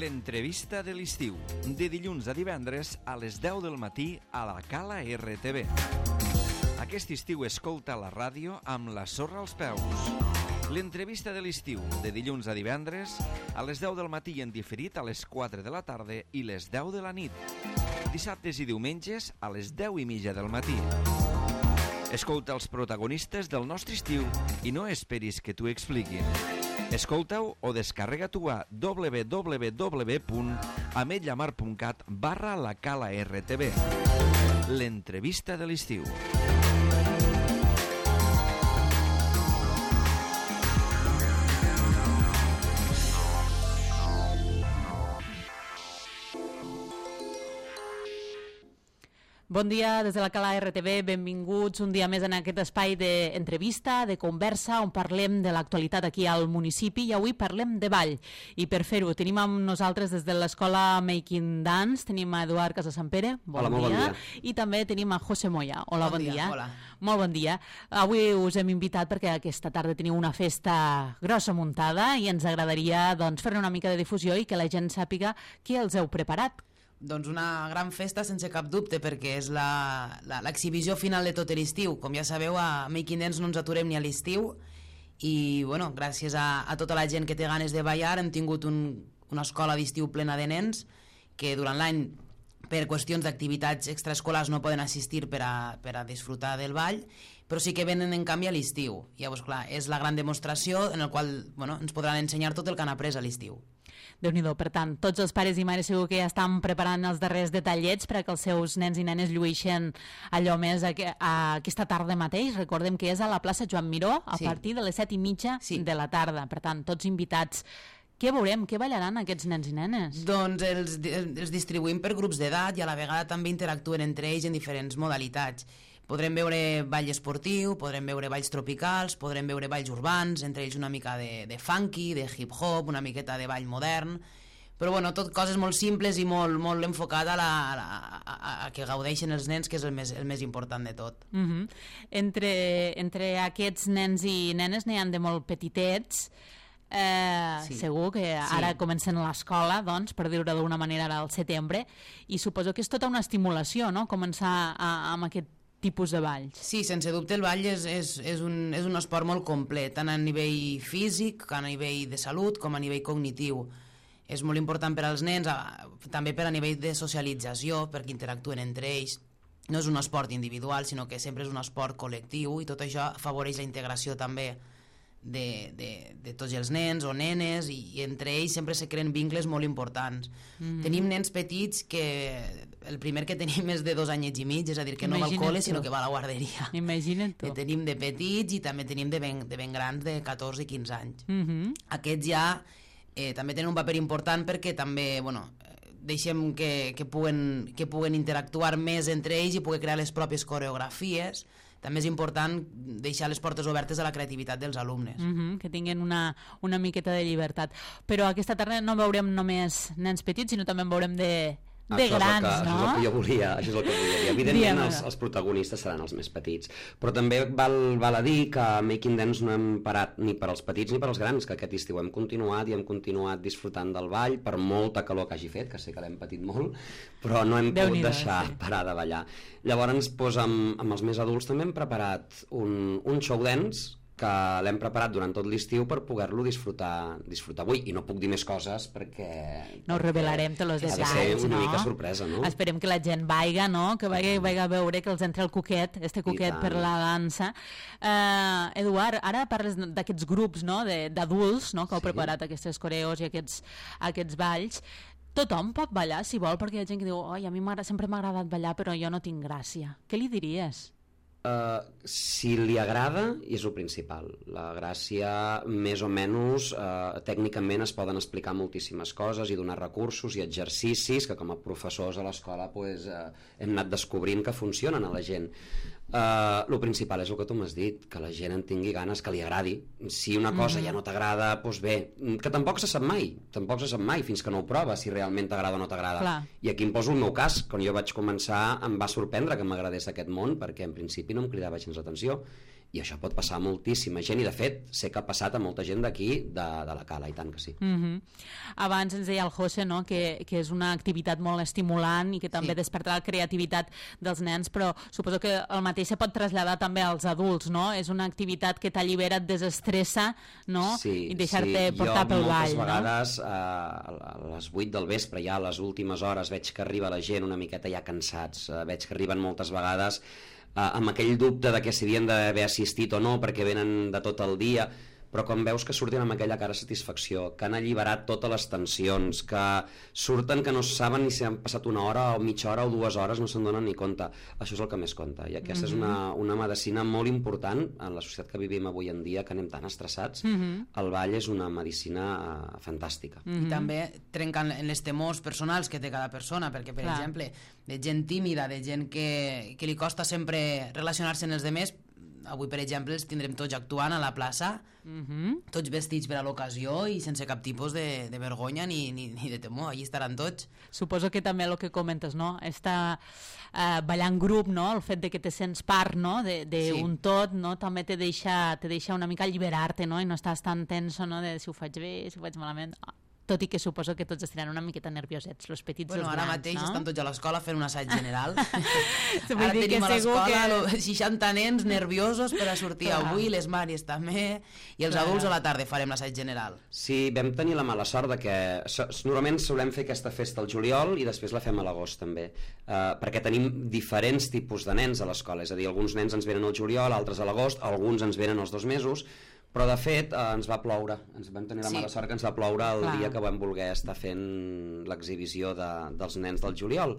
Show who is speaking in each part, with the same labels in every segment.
Speaker 1: L'entrevista de l'estiu, de dilluns a divendres a les 10 del matí a la Cala RTV. Aquest estiu escolta la ràdio amb la sorra als peus. L'entrevista de l'estiu, de dilluns a divendres a les 10 del matí en diferit a les 4 de la tarda i les 10 de la nit. Dissabtes i diumenges a les 10:30 del matí. Escolta els protagonistes del nostre estiu i no esperis que t'ho expliquin. Escolta-ho o descarrega-t'ho a www.ametlllamar.cat/la Cala RTV. L'entrevista de l'estiu.
Speaker 2: Bon dia des de la Cala RTV, benvinguts un dia més en aquest espai d'entrevista, de conversa, on parlem de l'actualitat aquí al municipi i avui parlem de ball. I per fer-ho tenim amb nosaltres des de l'escola Making Dance, tenim a Eduard Casasampere,
Speaker 3: Hola, molt bon dia.
Speaker 2: I també tenim a José Moya. Hola, bon dia.
Speaker 4: Hola.
Speaker 2: Molt bon dia. Avui us hem invitat perquè aquesta tarda teniu una festa grossa muntada i ens agradaria fer-ne una mica de difusió i que la gent sàpiga què els heu preparat.
Speaker 4: Doncs una gran festa sense cap dubte, perquè és l'exhibició final de tot l'estiu. Com ja sabeu, a Making Dance no ens aturem ni a l'estiu i gràcies a tota la gent que té ganes de ballar hem tingut una escola d'estiu plena de nens que durant l'any per qüestions d'activitats extraescolars no poden assistir per a disfrutar del ball, però sí que venen en canvi a l'estiu. Llavors, clar, és la gran demostració en la qual ens podran ensenyar tot el que han après a l'estiu.
Speaker 2: Déu-n'hi-do, per tant, tots els pares i mares segur que ja estan preparant els darrers detallets perquè els seus nens i nenes llueixen allò més aquesta tarda mateix. Recordem que és a la plaça Joan Miró a partir de les 7:30 de la tarda. Per tant, tots invitats. Què veurem? Què ballaran aquests nens i nenes?
Speaker 4: Doncs els distribuïm per grups d'edat i a la vegada també interactuen entre ells en diferents modalitats. Podrem veure ball esportiu, podrem veure balls tropicals, podrem veure balls urbans, entre ells una mica de funky, de hip-hop, una miqueta de ball modern, però tot coses molt simples i molt enfocat a que gaudeixen els nens, que és el més important de tot.
Speaker 2: Entre aquests nens i nenes n'hi ha de molt petitets. Segur que ara comencen a l'escola, per dir-ho d'una manera ara al setembre, i suposo que és tota una estimulació, no?, començar amb aquest tipus de balls.
Speaker 4: Sí, sense dubte el ball és un esport molt complet, tant a nivell físic, a nivell de salut, com a nivell cognitiu. És molt important per als nens, també per a nivell de socialització, perquè interactuen entre ells. No és un esport individual, sinó que sempre és un esport col·lectiu i tot això afavoreix la integració també de tots els nens o nenes i entre ells sempre se creen vincles molt importants. Tenim nens petits que el primer que tenim és de 2 anyets i mig, és a dir, que no va al col·le sinó que va a la guarderia.
Speaker 2: Imagina't tu.
Speaker 4: Que tenim de petits i també tenim de ben grans de 14 i 15 anys. Aquests ja també tenen un paper important perquè també deixem que puguen interactuar més entre ells i poder crear les pròpies coreografies. També és important deixar les portes obertes a la creativitat dels alumnes.
Speaker 2: Que tinguin una miqueta de llibertat. Però aquesta tarda no veurem només nens petits, sinó també en veurem de grans, no?
Speaker 3: Això és el que jo volia, Evidentment els protagonistes seran els més petits, però també val a dir que a Making Dance no hem parat ni per als petits ni per als grans, que aquest estiu hem continuat i hem continuat disfrutant del ball per molta calor que hagi fet, que sé que l'hem patit molt, però no hem pogut deixar parar de ballar. Llavors, amb els més adults també hem preparat un show dance que l'hem preparat durant tot l'estiu per poder-lo disfrutar avui, i no puc dir més coses perquè
Speaker 2: no ho revelarem tots els detalls,
Speaker 3: ha de ser una mica sorpresa, no?
Speaker 2: Esperem que la gent vaiga, no? Que vagi a veure, que els entra el coquet per la dansa. Eduard, ara parles d'aquests grups, no?, d'adults, no?, que heu preparat aquestes coreos i aquests balls. Tothom pot ballar si vol, perquè hi ha gent que diu a mi sempre m'ha agradat ballar però jo no tinc gràcia. Què li diries?
Speaker 3: Si li agrada, és el principal. La gràcia, més o menys, tècnicament es poden explicar moltíssimes coses i donar recursos i exercicis que com a professors a l'escola hem anat descobrint que funcionen a la gent. El principal és el que tu m'has dit, que la gent en tingui ganes, que li agradi. Si una cosa ja no t'agrada, doncs bé, que tampoc se sap mai fins que no ho proves, si realment t'agrada o no t'agrada.
Speaker 2: Clar.
Speaker 3: I aquí em poso el meu cas. Quan jo vaig començar em va sorprendre que m'agradés aquest món, perquè en principi no em cridava gens l'atenció, I això pot passar a moltíssima gent, i de fet sé que ha passat a molta gent d'aquí, de la Cala, i tant que sí.
Speaker 2: Abans ens deia el José, no?, que és una activitat molt estimulant i que també desperta la creativitat dels nens, però suposo que el mateix se pot traslladar també als adults, no? És una activitat que t'allibera, et desestressa, no? I deixar-te portar pel ball, no?
Speaker 3: Jo moltes vegades a les 8 del vespre, ja a les últimes hores, veig que arriba la gent una miqueta ja cansats, veig que arriben moltes vegades amb aquell dubte de que si havien d'haver assistit o no, perquè venen de tot el dia, però quan veus que surten amb aquella cara de satisfacció, que han alliberat totes les tensions, que surten que no saben ni si han passat una hora o mitja hora o 2 hores, no se'n donen ni compte, això és el que més compta. I aquesta és una medicina molt important en la societat que vivim avui en dia, que anem tan estressats. El ball és una medicina fantàstica.
Speaker 4: I també trenquen les temors personals que té cada persona, perquè, per exemple, de gent tímida, de gent que li costa sempre relacionar-se amb els demés, avui, per exemple, els tindrem tots actuant a la plaça, tots vestits per a l'ocasió i sense cap tipus de vergonya ni de temor, allí estaran tots.
Speaker 2: Suposo que també el que comentes, no?, està ballar en grup, no?, el fet de que te sents part, no?, d'un tot, no?, també te deixa una mica alliberar-te, no?, i no estàs tan tenso, no?, de si ho faig bé, si ho faig malament... Tot i que suposo que tots estaran una miqueta nerviosets, els petits i els grans,
Speaker 4: ara mateix estan tots a l'escola fent un assaig general.
Speaker 2: Ara
Speaker 4: tenim a l'escola 60 nens nerviosos per a sortir avui, les Màries també, i els adults a la tarda farem l'assaig general.
Speaker 3: Sí, vam tenir la mala sort de que normalment solem fer aquesta festa al juliol i després la fem a l'agost també, perquè tenim diferents tipus de nens a l'escola, és a dir, alguns nens ens venen al juliol, altres a l'agost, alguns ens venen als 2 mesos, però de fet ens va ploure, ens vam tenir la mala sort que ens va ploure el dia que vam voler estar fent l'exhibició dels nens del juliol,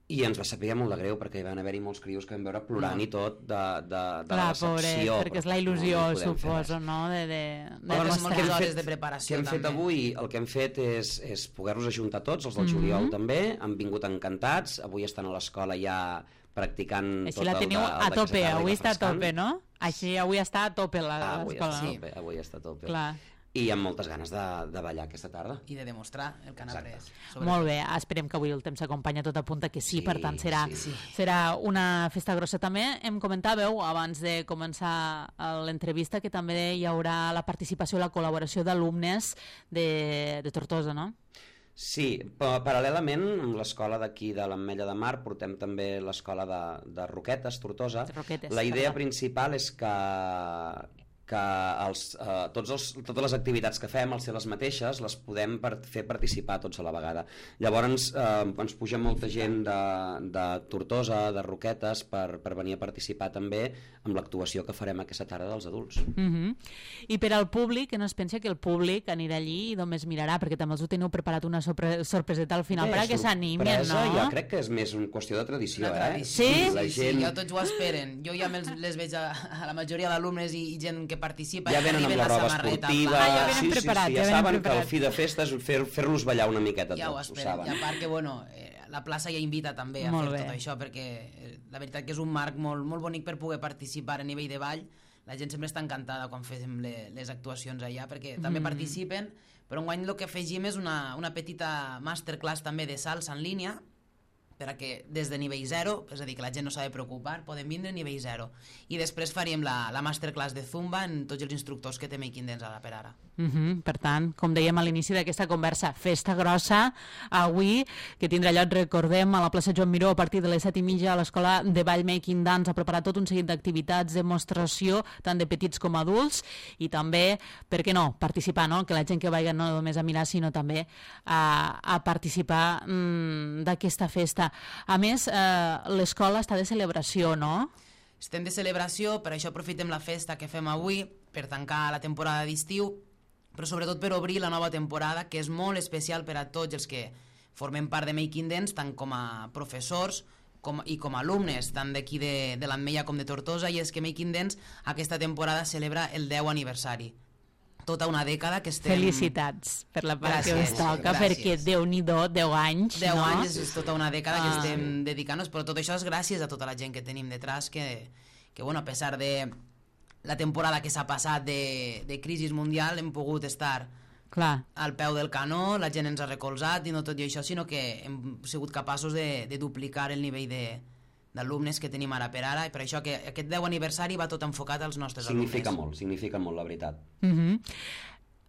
Speaker 3: i ens va saber molt de greu perquè van haver-hi molts crios que vam veure plorant i tot de la decepció.
Speaker 2: Perquè és la il·lusió, suposo, no? De
Speaker 4: moltes hores de preparació.
Speaker 3: Què hem fet avui? El que hem fet és poder-nos ajuntar tots, els del juliol també, han vingut encantats, avui estan a l'escola ja practicant
Speaker 2: tot el de... Així la teniu a tope, avui està a tope, no? Així avui està a tope l'escola.
Speaker 3: Avui està a tope.
Speaker 2: Clar.
Speaker 3: I amb moltes ganes de ballar aquesta tarda.
Speaker 4: I de demostrar el que han après.
Speaker 2: Molt bé, esperem que avui el temps s'acompanya, tot apunta que sí, per tant serà una festa grossa. També em comentàveu, abans de començar l'entrevista, que també hi haurà la participació i la col·laboració d'alumnes de Tortosa, no?
Speaker 3: Sí, paral·lelament amb l'escola d'aquí de l'Ametlla de Mar portem també l'escola de Roquetes, Tortosa. La idea principal és que totes les activitats que fem, al ser les mateixes, les podem fer participar tots a la vegada. Llavors ens puja molta gent de Tortosa, de Roquetes, per venir a participar també amb l'actuació que farem aquesta tarda dels adults.
Speaker 2: I per al públic, que no es pensa que el públic anirà allí i només mirarà, perquè també els ho teniu preparat una sorpreseta al final perquè s'animin, no?
Speaker 3: Jo crec que és més una qüestió de tradició,
Speaker 2: Sí?
Speaker 4: Sí, ja tots ho esperen. Jo ja les veig a la majoria d'alumnes i gent que participa,
Speaker 3: ja venen amb la roba esportiva,
Speaker 2: ja venen preparats,
Speaker 3: ja saben que el fi de festa és fer-los ballar una miqueta
Speaker 4: tots, ho esperen. I a part que, la plaça ja invita també a fer tot això, perquè la veritat que és un marc molt bonic per poder participar a nivell de ball. La gent sempre està encantada quan fem les actuacions allà, perquè també participen, però enguany el que afegim és una petita masterclass també de salsa en línia, perquè des de nivell 0, és a dir, que la gent no s'ha de preocupar, podem vindre a nivell 0. I després faríem la masterclass de Zumba en tots els instructors que té Making Dance ara per ara.
Speaker 2: Per tant, com dèiem a l'inici d'aquesta conversa, festa grossa avui, que tindrà lloc, recordem, a la plaça Joan Miró a partir de les 7:30 a l'escola de ball Making Dance. Ha preparat tot un seguit d'activitats, demostració, tant de petits com adults, i també, per què no, participar, no? Que la gent que vagi no només a mirar, sinó també a participar d'aquesta festa. A més, l'escola està de celebració, no?
Speaker 4: Estem de celebració, per això aprofitem la festa que fem avui per tancar la temporada d'estiu, però sobretot per obrir la nova temporada, que és molt especial per a tots els que formem part de Making Dance, tant com a professors i com a alumnes, tant d'aquí de l'Ametlla com de Tortosa, i és que Making Dance aquesta temporada celebra el 10 aniversari. Tota una dècada que estem...
Speaker 2: Felicitats per la part que us toca, perquè Déu-n'hi-do, 10 anys,
Speaker 4: 10 anys és tota una dècada que estem dedicant-nos, però tot això és gràcies a tota la gent que tenim detrás, que a pesar de la temporada que s'ha passat de crisi mundial, hem pogut estar al peu del canó, la gent ens ha recolzat, i no tot i això, sinó que hem sigut capaços de duplicar el nivell d'alumnes que tenim ara per ara, i per això que aquest 10 aniversari va tot enfocat als nostres alumnes.
Speaker 3: Significa molt, la veritat.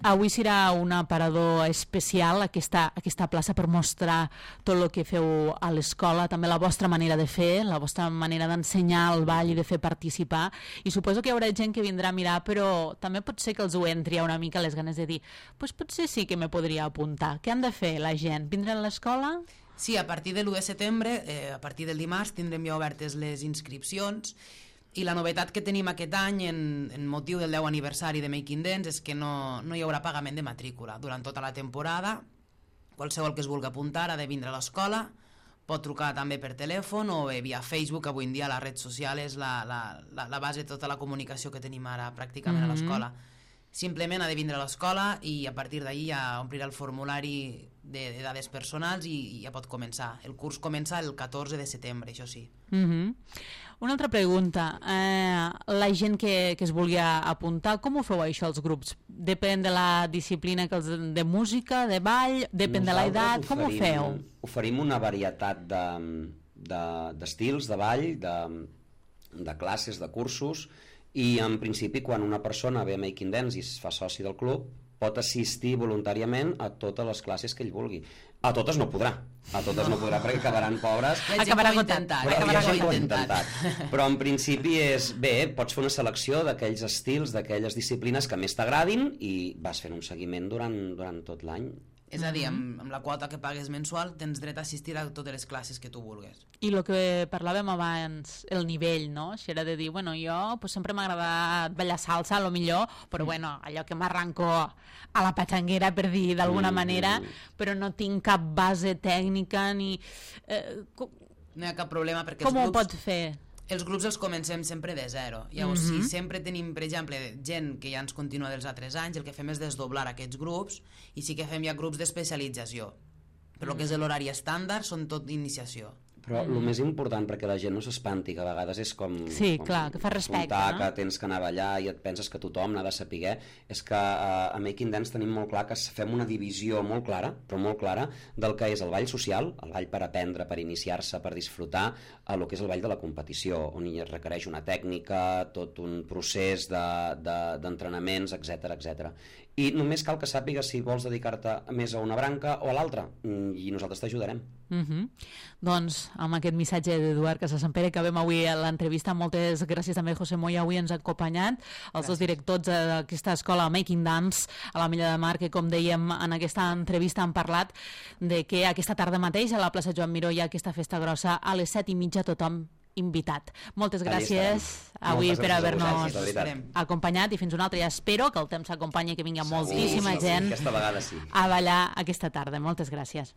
Speaker 2: Avui serà un aparador especial, aquesta plaça, per mostrar tot el que feu a l'escola, també la vostra manera de fer, la vostra manera d'ensenyar el ball i de fer participar, i suposo que hi haurà gent que vindrà a mirar, però també pot ser que els ho entri una mica les ganes de dir, pues potser sí que me podria apuntar. Què han de fer la gent? Vindre a l'escola?
Speaker 4: Sí, a partir de l'1 de setembre, a partir del dimarts, tindrem ja obertes les inscripcions, i la novetat que tenim aquest any en motiu del 10 aniversari de Making Dance és que no hi haurà pagament de matrícula durant tota la temporada. Qualsevol que es vulgui apuntar ha de vindre a l'escola, pot trucar també per telèfon o bé via Facebook. Avui en dia la red social és la base de tota la comunicació que tenim ara pràcticament a l'escola. Simplement ha de vindre a l'escola i a partir d'ahir ja omplirà el formulari de dades personals i ja pot començar. El curs comença el 14 de setembre, això sí.
Speaker 2: Una altra pregunta. La gent que es vulgui apuntar, com ho feu això, els grups? Depèn de la disciplina de música, de ball, depèn de l'edat, com ho feu?
Speaker 3: Oferim una varietat d'estils de ball, de classes, de cursos, i en principi quan una persona ve a Making Dance i es fa soci del club pot assistir voluntàriament a totes les classes que ell vulgui. A totes no podrà perquè acabaran pobres.
Speaker 2: Acabarà
Speaker 3: intentat. Però en principi és bé, pots fer una selecció d'aquells estils, d'aquelles disciplines que més t'agradin i vas fent un seguiment durant tot l'any.
Speaker 4: És a dir, amb la quota que pagues mensual tens dret a assistir a totes les classes que tu vulguis.
Speaker 2: I el que parlàvem abans, el nivell, no? Això era de dir, bueno, jo pues, sempre m'ha agradat ballar salsa, a lo millor, però bueno, allò que m'arranco a la patxanguera, per dir d'alguna manera, però no tinc cap base tècnica ni...
Speaker 4: No hi ha cap problema perquè
Speaker 2: com ho pot fer?
Speaker 4: Els grups els comencem sempre de zero. Llavors, si sempre tenim, per exemple, gent que ja ens continua dels altres anys, el que fem és desdoblar aquests grups i sí que fem ja grups d'especialització. Però el que és l'horari estàndard són tot d'iniciació.
Speaker 3: Però el més important, perquè la gent no s'espanti, que a vegades és com...
Speaker 2: Sí, clar, que fa respecte, no?
Speaker 3: Que tens que anar a ballar i et penses que tothom n'ha de saber, és que a Making Dance tenim molt clar que fem una divisió molt clara, però molt clara, del que és el ball social, el ball per aprendre, per iniciar-se, per disfrutar, a el que és el ball de la competició, on hi requereix una tècnica, tot un procés d'entrenaments, etc. I només cal que sàpigues si vols dedicar-te més a una branca o a l'altra, i nosaltres t'ajudarem.
Speaker 2: Doncs amb aquest missatge d'Eduard Casasampere acabem avui l'entrevista. Moltes gràcies també, José Moya, avui ens ha acompanyat, els dos directors d'aquesta escola Making Dance a la Milla de Mar, que com dèiem en aquesta entrevista han parlat de que aquesta tarda mateix a la plaça Joan Miró hi ha aquesta festa grossa a les 7:30, tothom invitat. Moltes gràcies avui per haver-nos acompanyat i fins una altra. I espero que el temps s'acompanyi, que vingui moltíssima gent a ballar aquesta tarda. Moltes gràcies.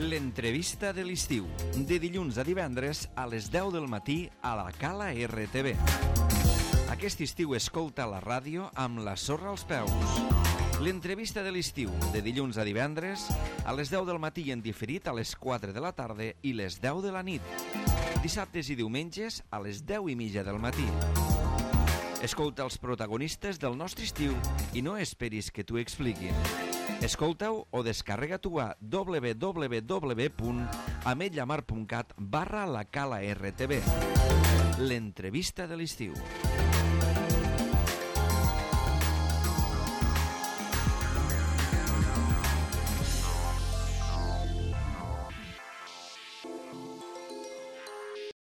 Speaker 1: L'entrevista de l'estiu, de dilluns a divendres a les 10 del matí a la Cala RTV. Aquest estiu escolta la ràdio amb la sorra als peus. L'entrevista de l'estiu, de dilluns a divendres a les 10 del matí i en diferit a les 4 de la tarda i les 10 de la nit. Dissabtes i diumenges a les 10:30 del matí. Escolta els protagonistes del nostre estiu i no esperis que t'ho expliquin. Escolta-ho o descarrega-t'ho a www.ametlllamar.cat/la Cala RTV. L'entrevista de l'estiu.